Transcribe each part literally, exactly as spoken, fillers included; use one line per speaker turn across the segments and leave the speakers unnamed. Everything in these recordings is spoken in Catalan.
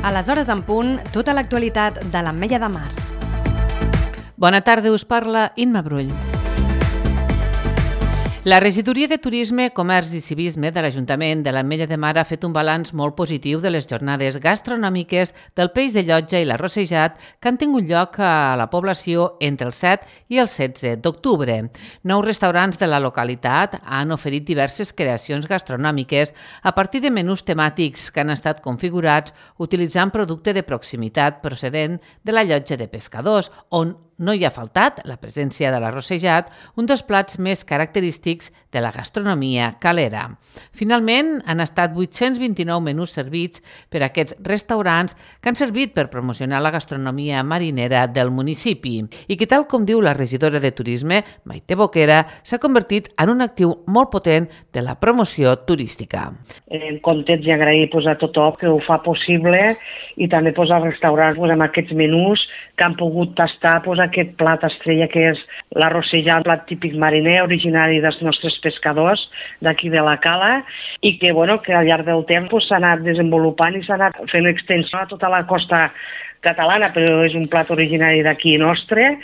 A les hores en punt, tota l'actualitat de l'Ametlla de Mar.
Bona tarda, us parla Imma Brull. La Regidoria de Turisme, Comerç i Civisme de l'Ajuntament de l'Ametlla de Mar ha fet un balanç molt positiu de les jornades gastronòmiques del peix de llotja i l'arrossejat que han tingut lloc a la població entre el set i el setze d'octubre. Nou restaurants de la localitat han oferit diverses creacions gastronòmiques a partir de menús temàtics que han estat configurats utilitzant producte de proximitat procedent de la llotja de pescadors, on no hi ha faltat la presència de l'arrossejat, un dels plats més característics de la gastronomia calera. Finalment, han estat vuit-cents vint-i-nou menús servits per a aquests restaurants que han servit per promocionar la gastronomia marinera del municipi i que, tal com diu la regidora de Turisme, Maite Boquera, s'ha convertit en un actiu molt potent de la promoció turística.
En contents i agrair pues, a tothom que ho fa possible i també pues, als restaurants pues, amb aquests menús que han pogut tastar pues, aquest plat estrella que és l'arrossejat, plat típic mariner, originari dels nostres pescadors d'aquí de la Cala i que, bueno, que al llarg del temps pues, s'ha anat desenvolupant i s'ha anat fent extensió a tota la costa catalana, però és un plat originari d'aquí nostre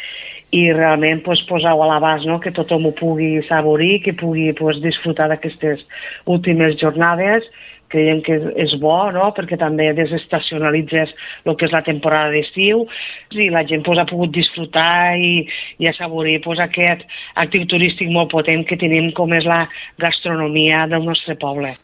i realment pues, posar-ho a l'abast, no? Que tothom ho pugui saborir, que pugui pues, disfrutar d'aquestes últimes jornades. Creiem que és bo, no? Perquè també desestacionalitzes el que és la temporada d'estiu i la gent pues, ha pogut disfrutar i, i assaborir pues, aquest actiu turístic molt potent que tenim com és la gastronomia del nostre poble.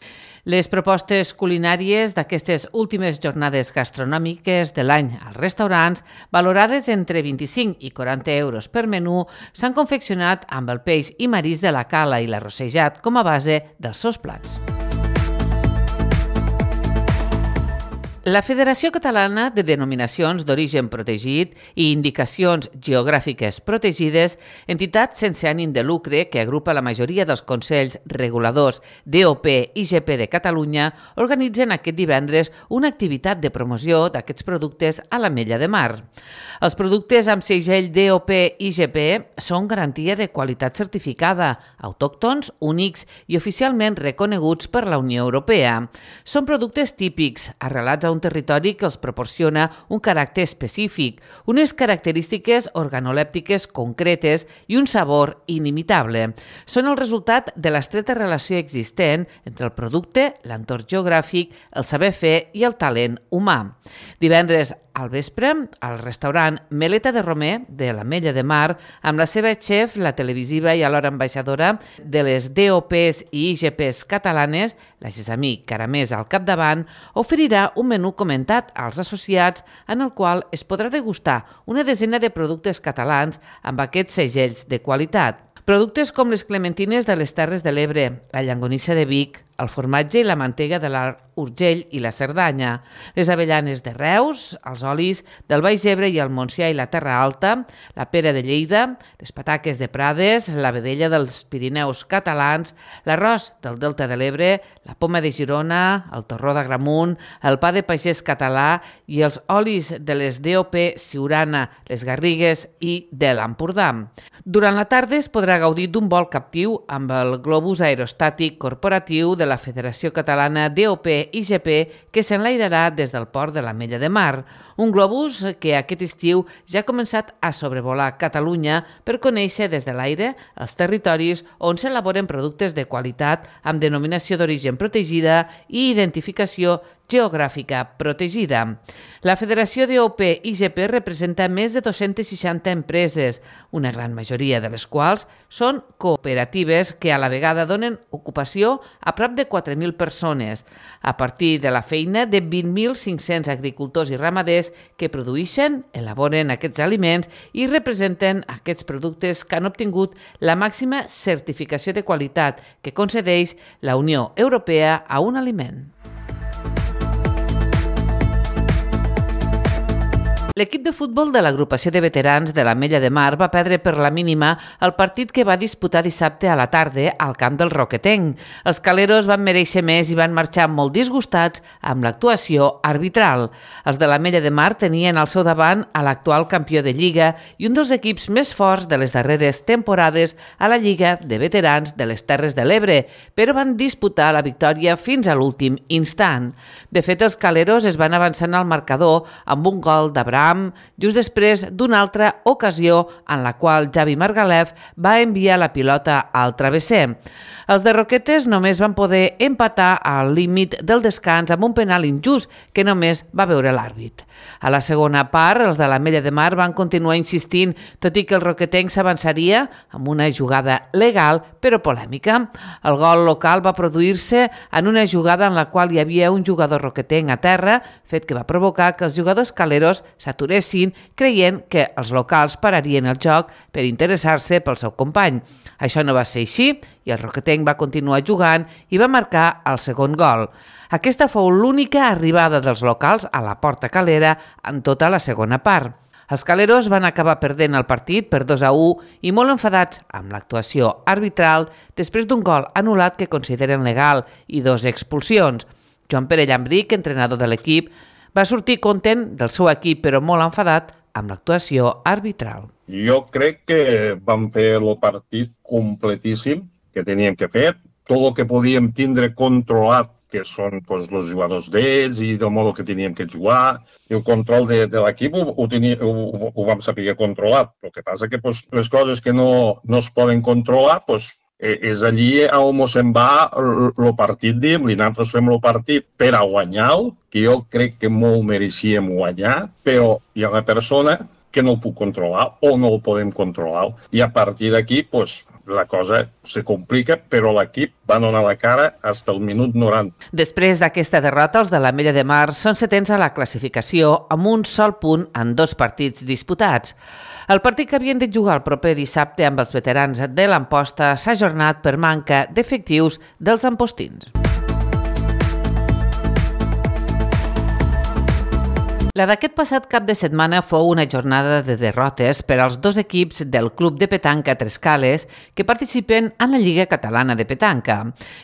Les propostes culinàries d'aquestes últimes jornades gastronòmiques de l'any als restaurants, valorades entre vint-i-cinc i quaranta euros per menú, s'han confeccionat amb el peix i marisc de la Cala i l'arrossejat com a base dels seus plats. La Federació Catalana de Denominacions d'Origen Protegit i Indicacions Geogràfiques Protegides, entitat sense ànim de lucre que agrupa la majoria dels consells reguladors D O P i G P de Catalunya, organitzen aquest divendres una activitat de promoció d'aquests productes a l'Ametlla de Mar. Els productes amb segell D O P i G P són garantia de qualitat certificada, autòctons, únics i oficialment reconeguts per la Unió Europea. Són productes típics, arrelats a un territori que els proporciona un caràcter específic, unes característiques organolèptiques concretes i un sabor inimitable. Són el resultat de l'estreta relació existent entre el producte, l'entorn geogràfic, el saber fer i el talent humà. Divendres al vespre, al restaurant Meleta de Romer de l'Ametlla de Mar, amb la seva xef, la televisiva i alhora ambaixadora de les D O Ps i I G Ps catalanes, la Gessamí Caramés al capdavant, oferirà un menú comentat als associats en el qual es podrà degustar una desena de productes catalans amb aquests segells de qualitat. Productes com les clementines de les Terres de l'Ebre, la llonganissa de Vic, el formatge i la mantega de l'Alt Urgell i la Cerdanya, les avellanes de Reus, els olis del Baix Ebre i el Montsià i la Terra Alta, la pera de Lleida, les pataques de Prades, la vedella dels Pirineus catalans, l'arròs del Delta de l'Ebre, la poma de Girona, el torró d'Agramunt, el pa de pagès català i els olis de les D O P Siurana, les Garrigues i de l'Empordà. Durant la tarda es podrà gaudir d'un vol captiu amb el globus aerostàtic corporatiu de la Federació Catalana D O P i G P que s'enlairarà des del port de l'Ametlla de Mar, un globus que aquest estiu ja ha començat a sobrevolar Catalunya per conèixer des de l'aire els territoris on s'elaboren productes de qualitat amb denominació d'origen protegida i identificació geogràfica protegida. La Federació D O P i G P representa més de dues-centes seixanta empreses, una gran majoria de les quals són cooperatives que a la vegada donen ocupació a prop de quatre mil persones, a partir de la feina de vint mil cinc-cents agricultors i ramaders que produeixen, elaboren aquests aliments i representen aquests productes que han obtingut la màxima certificació de qualitat que concedeix la Unió Europea a un aliment. L'equip de futbol de l'agrupació de veterans de l'Ametlla de Mar va perdre per la mínima el partit que va disputar dissabte a la tarda al camp del Roquetenc. Els caleros van mereixer més i van marxar molt disgustats amb l'actuació arbitral. Els de l'Ametlla de Mar tenien al seu davant a l'actual campió de Lliga i un dels equips més forts de les darreres temporades a la Lliga de Veterans de les Terres de l'Ebre, però van disputar la victòria fins a l'últim instant. De fet, els caleros es van avançar al marcador amb un gol d'Abraham just després d'una altra ocasió en la qual Javi Margalef va enviar la pilota al travesser. Els de Roquetes només van poder empatar al límit del descans amb un penal injust que només va veure l'àrbit. A la segona part, els de l'Ametlla de Mar van continuar insistint, tot i que el roquetenc s'avançaria amb una jugada legal però polèmica. El gol local va produir-se en una jugada en la qual hi havia un jugador roquetenc a terra, fet que va provocar que els jugadors caleros s'aturessin creient que els locals pararien el joc per interessar-se pel seu company. Això no va ser així i el roquetenc va continuar jugant i va marcar el segon gol. Aquesta fou l'única arribada dels locals a la porta calera en tota la segona part. Els caleros van acabar perdent el partit per dos a u i molt enfadats amb l'actuació arbitral després d'un gol anul·lat que consideren legal i dos expulsions. Joan Pere Llambric, entrenador de l'equip, va sortir content del seu equip però molt enfadat amb l'actuació arbitral.
Jo crec que vam fer el partit completíssim que teníem que fer. Tot el que podíem tindre controlat, que són pues, els jugadors d'ells i del modo que teníem que jugar. El control de, de l'equip ho, ho, ho, ho vam saber controlar. El que passa que pues, les coses que no, no es poden controlar pues, és allí on se'n va el partit, diem, i nosaltres fem el partit per a guanyar, que jo crec que molt mereixíem guanyar, però hi ha una persona que no el puc controlar o no el podem controlar. I a partir d'aquí, pues, la cosa se complica, però l'equip va donar la cara fins al minut noranta.
Després d'aquesta derrota, els de l'Ametlla de Mar són setens a la classificació amb un sol punt en dos partits disputats. El partit que havien de jugar el proper dissabte amb els veterans de l'Amposta s'ha ajornat per manca d'efectius dels ampostins. La d'aquest passat cap de setmana fou una jornada de derrotes per als dos equips del Club de Petanca Trescales que participen en la Lliga Catalana de Petanca.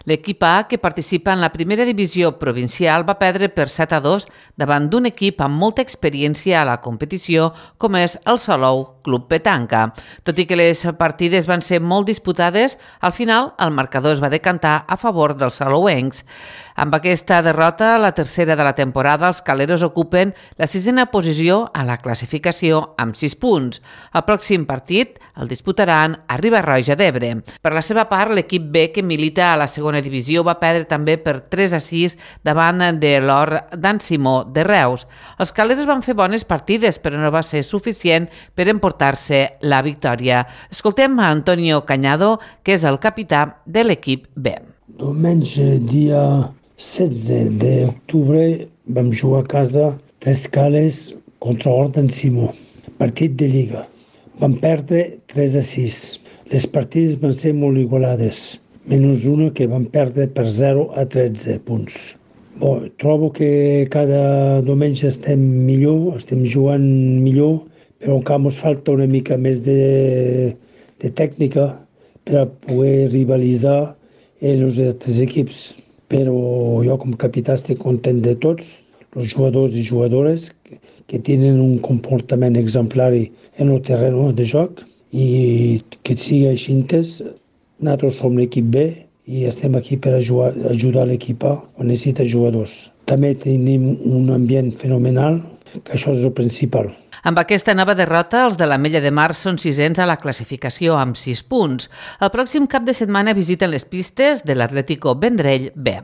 L'equip A, que participa en la primera divisió provincial, va perdre per set a dos davant d'un equip amb molta experiència a la competició com és el Salou Club Petanca. Tot i que les partides van ser molt disputades, al final el marcador es va decantar a favor dels salouencs. Amb aquesta derrota, la tercera de la temporada, els caleros ocupen la sisena posició a la classificació amb sis punts. El pròxim partit el disputaran a Riba-roja d'Ebre. Per la seva part, l'equip B, que milita a la segona divisió, va perdre també per tres a sis davant de l'Or d'en Simó de Reus. Els caleros van fer bones partides, però no va ser suficient per emportar-se la victòria. Escoltem a Antonio Cañado, que és el capità de l'equip B.
Diumenge, dia setze d'octubre, vam jugar a casa Trescales contra l'Or d'en Simó, partit de Lliga. Vam perdre tres a sis. Les partides van ser molt igualades, menys una que vam perdre per zero a tretze punts. Bon, trobo que cada diumenge estem millor, estem jugant millor, però encara ens falta una mica més de, de tècnica per a poder rivalitzar els altres equips. Però jo com capità estic content de tots, els jugadors i jugadores que, que tenen un comportament exemplari en el terreny de joc i que sigui així. Nosaltres som l'equip B i estem aquí per ajudar, ajudar l'equip A quan necessita jugadors. També tenim un ambient fenomenal, que això és el principal.
Amb aquesta nova derrota, els de l'Ametlla de Mar són sisens a la classificació amb sis punts. El pròxim cap de setmana visiten les pistes de l'Atlético Vendrell B.